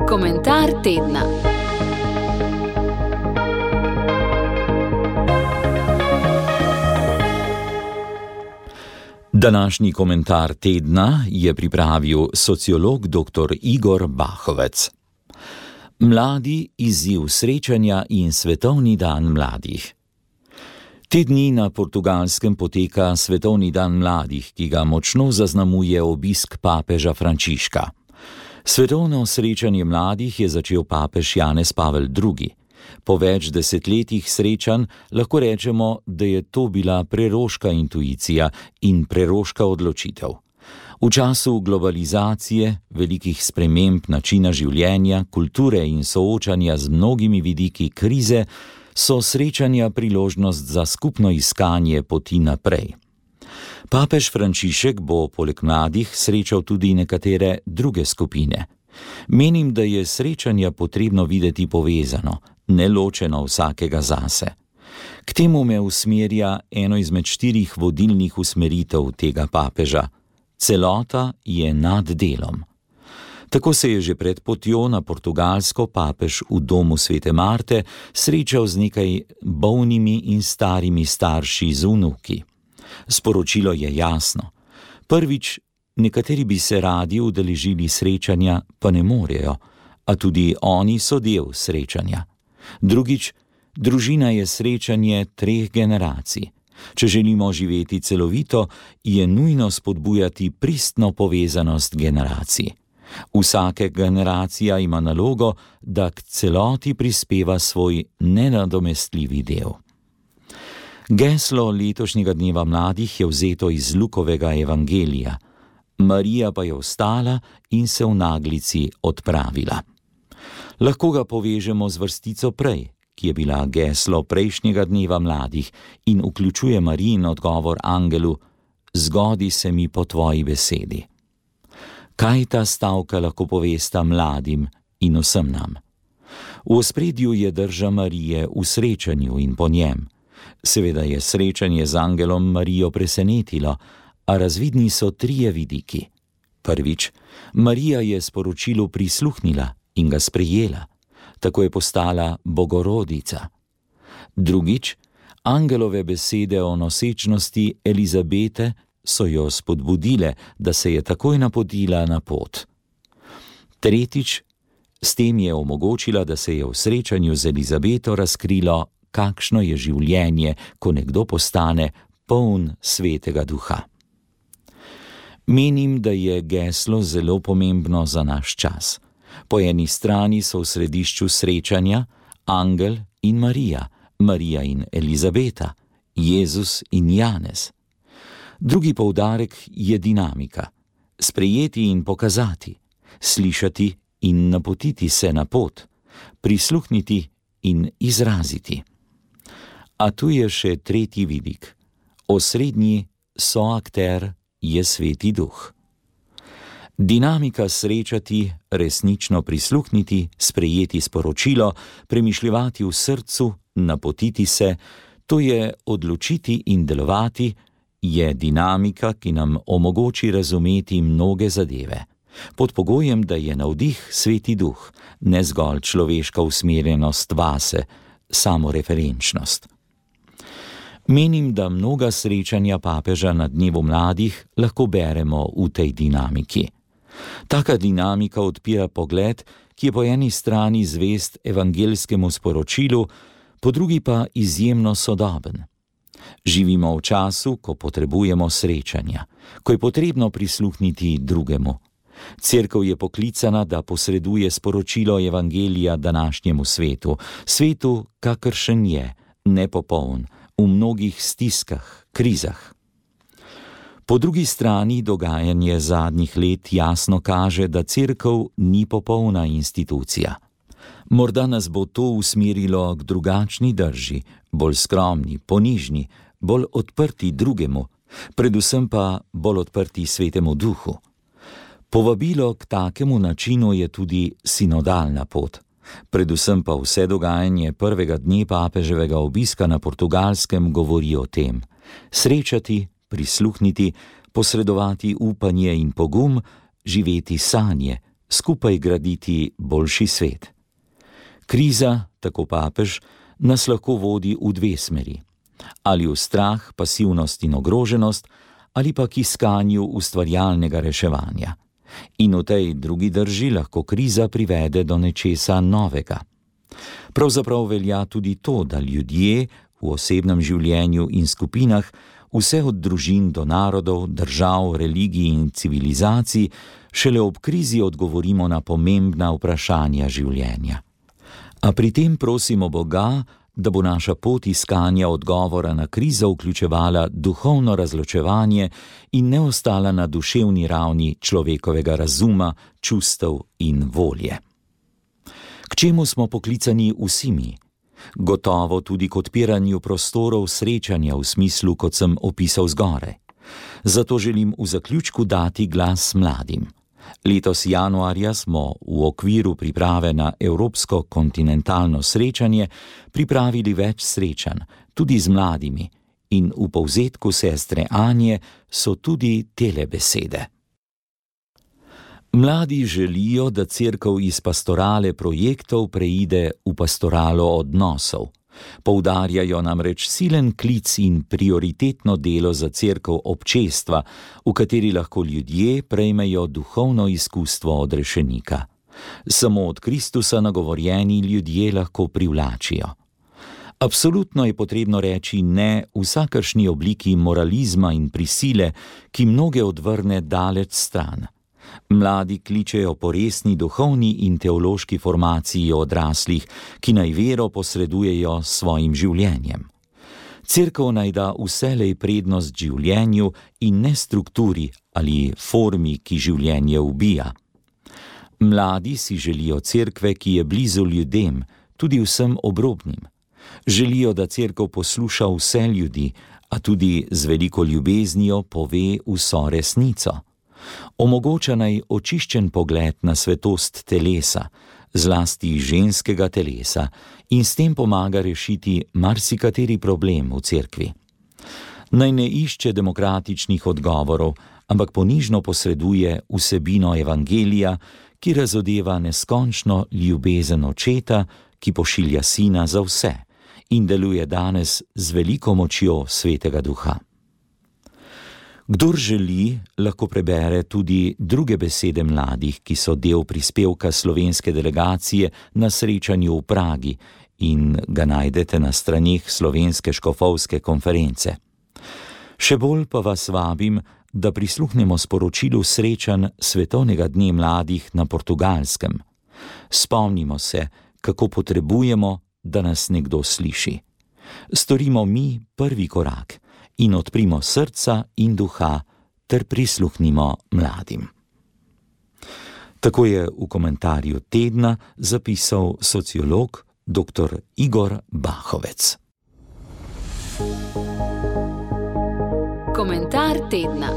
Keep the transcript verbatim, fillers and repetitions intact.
Komentar tedna. Današnji komentar tedna je pripravil sociolog doktor Igor Bahovec. Mladi, izziv srečanja in Svetovni dan mladih. Te dni na Portugalskem poteka Svetovni dan mladih, ki ga močno zaznamuje obisk papeža Frančiška. Svetovno srečanje mladih je začel papež Janez Pavel drugi. Po več desetletjih srečanj lahko rečemo, da je to bila preroška intuicija in preroška odločitev. V času globalizacije, velikih sprememb načina življenja, kulture in soočanja z mnogimi vidiki krize, so srečanja priložnost za skupno iskanje poti naprej. Papež Frančišek bo poleg mladih srečal tudi nekatere druge skupine. Menim, da je srečanja potrebno videti povezano, neločeno vsakega zase. K temu me usmerja eno izmed štirih vodilnih usmeritev tega papeža. Celota je nad delom. Tako se je že pred potjo na Portugalsko papež v domu Svete Marte srečal z nekaj bolnimi in starimi starši z vnuki. Sporočilo je jasno. Prvič, nekateri bi se radi udeležili srečanja, pa ne morejo, a tudi oni so del srečanja. Drugič, družina je srečanje treh generacij. Če želimo živeti celovito, je nujno spodbujati pristno povezanost generacij. Vsaka generacija ima nalogo, da k celoti prispeva svoj nenadomestljivi del. Geslo letošnjega dneva mladih je vzeto iz Lukovega evangelija. Marija pa je vstala in se v naglici odpravila. Lahko ga povežemo z vrstico prej, ki je bila geslo prejšnjega dneva mladih in vključuje Marijin odgovor angelu: "Zgodi se mi po tvoji besedi." Kaj ta stavka lahko povesta mladim in vsem nam? V ospredju je drža Marije v srečanju in po njem. Seveda je srečanje z angelom Marijo presenetilo, a razvidni so trije vidiki. Prvič, Marija je sporočilu prisluhnila in ga sprejela. Tako je postala bogorodica. Drugič, angelove besede o nosečnosti Elizabete so jo spodbudile, da se je takoj napotila na pot. Tretjič, s tem je omogočila, da se je v srečanju z Elizabeto razkrilo, kakšno je življenje, ko nekdo postane poln Svetega Duha. Menim, da je geslo zelo pomembno za naš čas. Po eni strani so v središču srečanja angel in Marija, Marija in Elizabeta, Jezus in Janez. Drugi poudarek je dinamika. Sprejeti in pokazati, slišati in napotiti se na pot, prisluhniti in izraziti. A tu je še tretji vidik. Osrednji soakter je Sveti Duh. Dinamika srečati, resnično prisluhniti, sprejeti sporočilo, premišljevati v srcu, napotiti se, to je odločiti in delovati, je dinamika, ki nam omogoči razumeti mnoge zadeve. Pod pogojem, da je navdih Sveti Duh, ne zgolj človeška usmerjenost vase, samoreferenčnost. Menim, da mnoga srečanja papeža na dnevu mladih lahko beremo v tej dinamiki. Taka dinamika odpira pogled, ki je po eni strani zvest evangeljskemu sporočilu, po drugi pa izjemno sodoben. Živimo v času, ko potrebujemo srečanja, ko je potrebno prisluhniti drugemu. Cerkev je poklicana, da posreduje sporočilo evangelija današnjemu svetu, svetu, kakršen je, nepopoln, v mnogih stiskah, krizah. Po drugi strani dogajanje zadnjih let jasno kaže, da cerkev ni popolna institucija. Morda nas bo to usmerilo k drugačni drži, bolj skromni, ponižni, bolj odprti drugemu, predvsem pa bolj odprti Svetemu Duhu. Povabilo k takemu načinu je tudi sinodalna pot. Predvsem pa vse dogajanje prvega dne papeževega obiska na Portugalskem govori o tem. Srečati, prisluhniti, posredovati upanje in pogum, živeti sanje, skupaj graditi boljši svet. Kriza, tako papež, nas lahko vodi v dve smeri. Ali v strah, pasivnost in ogroženost, ali pa k iskanju ustvarjalnega reševanja. In v tej drugi drži lahko kriza privede do nečesa novega. Pravzaprav velja tudi to, da ljudje v osebnem življenju in skupinah, vse od družin do narodov, držav, religij in civilizacij, šele ob krizi odgovorimo na pomembna vprašanja življenja. A pri tem prosimo Boga, da bo naša pot iskanja odgovora na krizo vključevala duhovno razločevanje in ne ostala na duševni ravni človekovega razuma, čustev in volje. K čemu smo poklicani vsi mi? Gotovo tudi k odpiranju prostorov srečanja v smislu, kot sem opisal zgoraj. Zato želim v zaključku dati glas mladim. Letos januarja smo v okviru priprave na Evropsko kontinentalno srečanje pripravili več srečanj, tudi z mladimi, in v povzetku sestre Anje so tudi tele besede. Mladi želijo, da cerkev iz pastorale projektov preide v pastoralo odnosov. Poudarjajo namreč silen klic in prioritetno delo za cerkev občestva, v kateri lahko ljudje prejmejo duhovno izkustvo od rešenika. Samo od Kristusa nagovorjeni ljudje lahko privlačijo. Absolutno je potrebno reči ne vsakršni obliki moralizma in prisile, ki mnoge odvrne daleč stran. Mladi kličejo po resni duhovni in teološki formaciji odraslih, ki naj vero posredujejo s svojim življenjem. Cerkev naj da vselej prednost življenju in ne strukturi ali formi, ki življenje ubija. Mladi si želijo cerkve, ki je blizu ljudem, tudi vsem obrobnim. Želijo, da cerkev posluša vse ljudi, a tudi z veliko ljubeznijo pove vso resnico. Omogoča naj očiščen pogled na svetost telesa, zlasti ženskega telesa, in s tem pomaga rešiti marsikateri problem v cerkvi. Naj ne išče demokratičnih odgovorov, ampak ponižno posreduje vsebino evangelija, ki razodeva neskončno ljubezen očeta, ki pošilja sina za vse in deluje danes z veliko močjo Svetega Duha. Kdor želi, lahko prebere tudi druge besede mladih, ki so del prispevka slovenske delegacije na srečanju v Pragi in ga najdete na straneh Slovenske škofovske konference. Še bolj pa vas vabim, da prisluhnemo sporočilu srečanj Svetovnega dne mladih na Portugalskem. Spomnimo se, kako potrebujemo, da nas nekdo sliši. Storimo mi prvi korak in odprimo srca in duha ter prisluhnimo mladim. Tako je v komentarju tedna zapisal sociolog dr. Igor Bahovec. Komentar tedna.